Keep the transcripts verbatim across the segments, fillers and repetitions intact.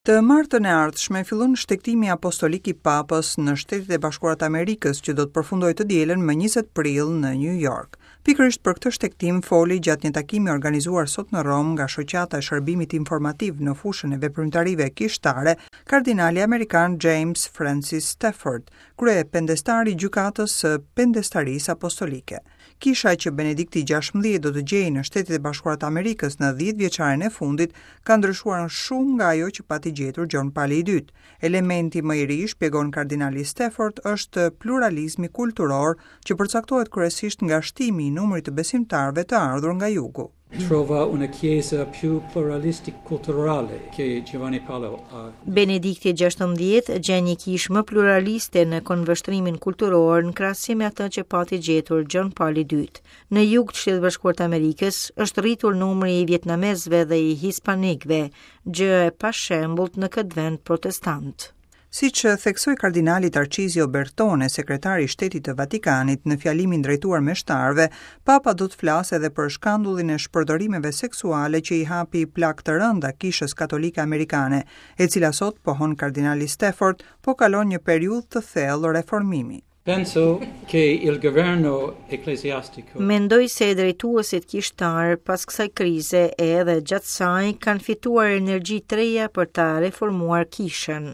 Të martën e ardhshme fillon shtegtimi apostolik i Papës në Shtetet e Bashkuara të Amerikës, që do të përfundojë të dielën më njëzet prill në New York. Pikërisht për këtë shtegtim foli gjatë një takimi organizuar sot në Romë nga Shoqata e Shërbimit Informativ në fushën e veprimtarive kishtare, kardinali amerikan James Francis Stafford, kryependestari i gjykatës së Pendestarisë Apostolike. Kisha që Benedikti gjashtëmbëdhjetë do të gjejë në Shtetet e Bashkuara të Amerikës në dhjetë vjeçarin e fundit ka ndryshuar shumë nga ajo që pati gjetur Gjon Pali i dytë. Elementi më i ri, shpjegon kardinali Stafford, është pluralizmi kulturor që përcaktohet kryesisht nga shtimi i numrit të besimtarëve të ardhur nga jugu. Trova una chiesa più pluralistic culturale che Giovanni Paolo. Uh... Benedikti gjashtëmbëdhjetë gjen një kishë më pluraliste në këndvështrimin kulturor në krahasim me atë që pati gjetur Gjon Pali i dytë. Në jug të Shtetit Bashkuar të Amerikës është rritur numri i vietnamezëve dhe i hispanikëve, gjë e pashembullt në këtë vend protestant. Siç theksoi kardinali Tarcizio Bertone, sekretari i Shtetit të Vatikanit, në fjalimin drejtuar meshtarëve, Papa do të flasë edhe për shkandullin e shpërdorimeve seksuale që i hapi plagë të rënda Kishës Katolike Amerikane, e cila sot, pohon kardinali Stafford, po kalon një periudhë të thellë reformimi. Penso che il governo ecclesiastico Mendoj se drejtuesit kishtar pas kësaj krize e edhe gjatë saj kanë fituar energji të reja për ta reformuar kishën.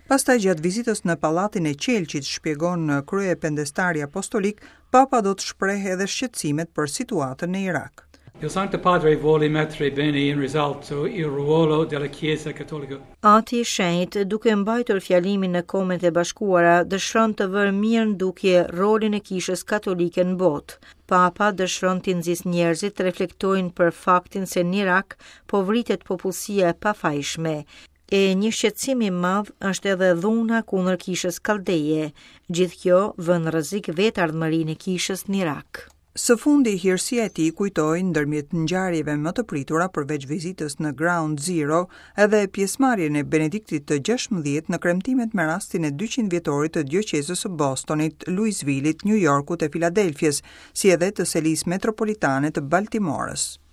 Pastaj gjatë vizitës në Pallatin e Qelqit, shpjegon kryependestari apostolik, Papa do të shprehë edhe shqetësimet për situatën në Irak. Il Santo Padre vuole mettere bene in risalto il ruolo della Chiesa Cattolica. Ati i Shenjtë, duke mbajtur fjalimin në Kombet e Bashkuara, dëshiron të vërë mirë në dukje rolin e Kishës Katolike në botë. Papa dëshiron të nxisë njerëzit të reflektojnë për faktin se në Irak po vritet popullsia e pafajshme. E një shqetësim i madh është edhe dhuna kundër Kishës Kaldeje. Gjithë kjo vën në rrezik vetë ardhmërinë e kishës në Irak. Së fundi, hirësia e tij kujtoi ndërmjet ngjarjeve më të pritura përveç vizitës në Ground Zero, edhe pjesëmarrjen e Benediktit të gjashtëmbëdhjetë në kremtimet me rastin e dyqind vjetorit të dioqezës së Bostonit, Louisville-it, New Yorkut e Filadelfias, si edhe të selisë metropolitane të Baltimorës.